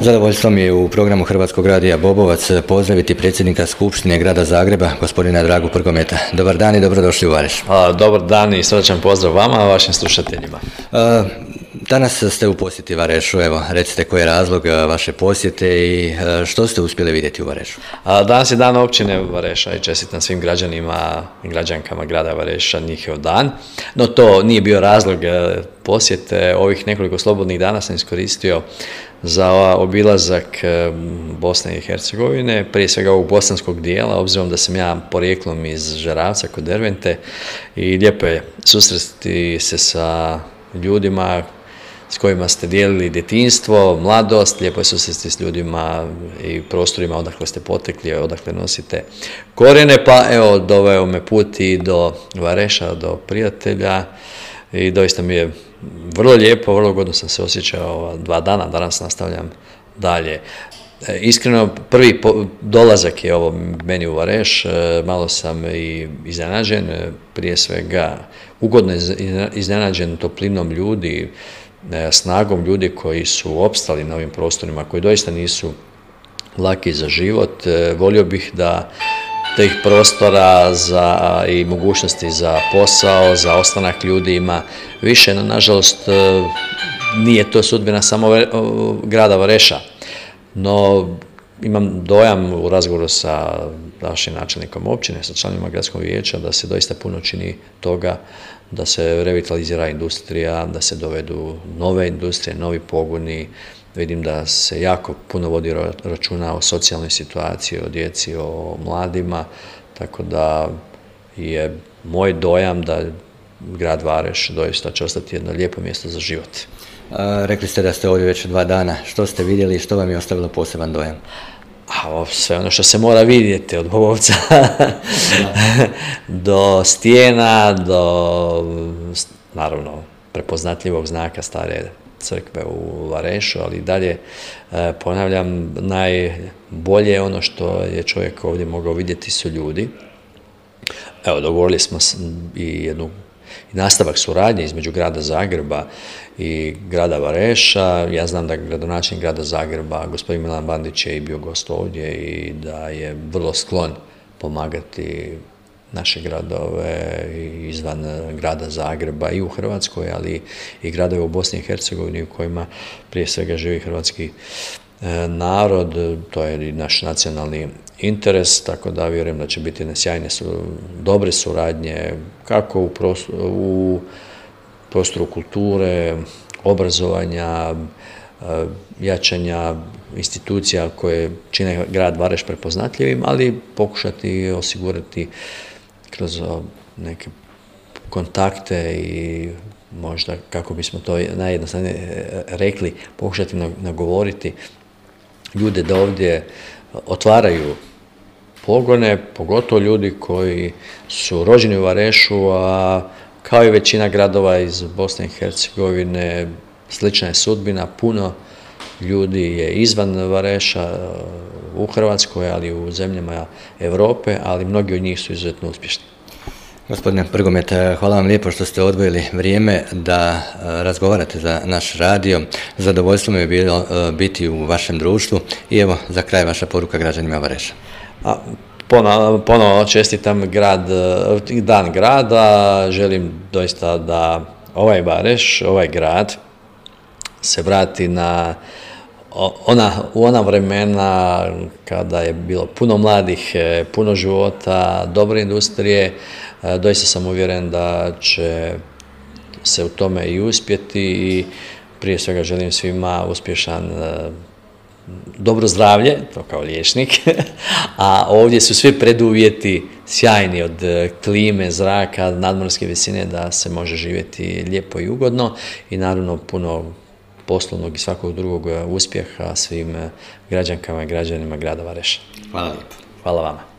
Zadovoljstvo mi je u programu Hrvatskog radija Bobovac pozdraviti predsjednika Skupštine Grada Zagreba, gospodina Dragu Prgometa. Dobar dan i dobrodošli u Vareš. Dobar dan i srdačan pozdrav vama i vašim slušateljima. Danas ste u posjeti Varešu, evo recite koji je razlog vaše posjete i što ste uspjeli vidjeti u Varešu? Danas je dan općine Vareša i čestitam svim građanima i građankama grada Vareša njihov dan, no to nije bio razlog posjete. Ovih nekoliko slobodnih dana sam iskoristio za obilazak Bosne i Hercegovine, prije svega ovog bosanskog dijela, obzirom da sam ja porijeklom iz Žeravca kod Dervente i lijepo je susresti se sa ljudima s kojima ste dijelili djetinjstvo, mladost, lijepo je susresti s ljudima i prostorima odakle ste potekli, odakle nosite korijene, pa evo doveo me put i do Vareša, do prijatelja i doista mi je vrlo lijepo, vrlo godno sam se osjećao ova 2 dana, danas nastavljam dalje. Iskreno, prvi dolazak je ovo meni u Vareš, malo sam i iznenađen, prije svega ugodno iznenađen toplinom ljudi, snagom ljudi koji su opstali na ovim prostorima, koji doista nisu laki za život. Volio bih da tih prostora i mogućnosti za posao, za ostanak ljudi ima više, no nažalost nije to sudbina samo grada Vareša. No imam dojam u razgovoru sa našim načelnikom općine, sa članovima gradskog vijeća da se doista puno čini toga da se revitalizira industrija, da se dovedu nove industrije, novi pogoni. Vidim da se jako puno vodi računa o socijalnoj situaciji, o djeci, o mladima, tako da je moj dojam da grad Vareš doista će ostati jedno lijepo mjesto za život. Rekli ste da ste ovdje već 2 dana. Što ste vidjeli i što vam je ostavilo poseban dojam? Sve ono što se mora vidjeti, od Bobovca do stijena, do naravno prepoznatljivog znaka stare crkve u Varešu, ali dalje ponavljam, najbolje ono što je čovjek ovdje mogao vidjeti su ljudi. Evo, dogovorili smo i nastavak suradnje između grada Zagreba i grada Vareša. Ja znam da gradonačelnik grada Zagreba, gospodin Milan Bandić, je i bio gost ovdje i da je vrlo sklon pomagati naše gradove izvan grada Zagreba i u Hrvatskoj, ali i gradove u Bosni i Hercegovini u kojima prije svega živi hrvatski narod. To je i naš nacionalni interes, tako da vjerujem da će biti sjajne, dobre suradnje kako u prostoru kulture, obrazovanja, jačanja institucija koje čine grad Vareš prepoznatljivim, ali pokušati osigurati kroz neke kontakte i možda, kako bismo to najjednostavnije rekli, pokušati nagovoriti ljude da ovdje otvaraju pogone, pogotovo ljudi koji su rođeni u Varešu, a kao i većina gradova iz Bosne i Hercegovine, slična je sudbina. Puno ljudi je izvan Vareša, u Hrvatskoj, ali i u zemljama Europe, ali mnogi od njih su izuzetno uspješni. Gospodine Prgomet, hvala vam lijepo što ste odvojili vrijeme da razgovarate za naš radio. Zadovoljstvo mi je bilo biti u vašem društvu i evo za kraj vaša poruka građanima Vareša. Ponovo čestitam dan grada, želim doista da ovaj Vareš, ovaj grad se vrati u ona vremena kada je bilo puno mladih, puno života, dobre industrije. Doista sam uvjeren da će se u tome i uspjeti i prije svega želim svima uspješan dobro zdravlje, to kao liječnik, a ovdje su svi preduvjeti sjajni, od klime, zraka, nadmorske visine, da se može živjeti lijepo i ugodno i naravno puno poslovnog i svakog drugog uspjeha svim građankama i građanima grada Vareša. Hvala lijepo. Hvala vama.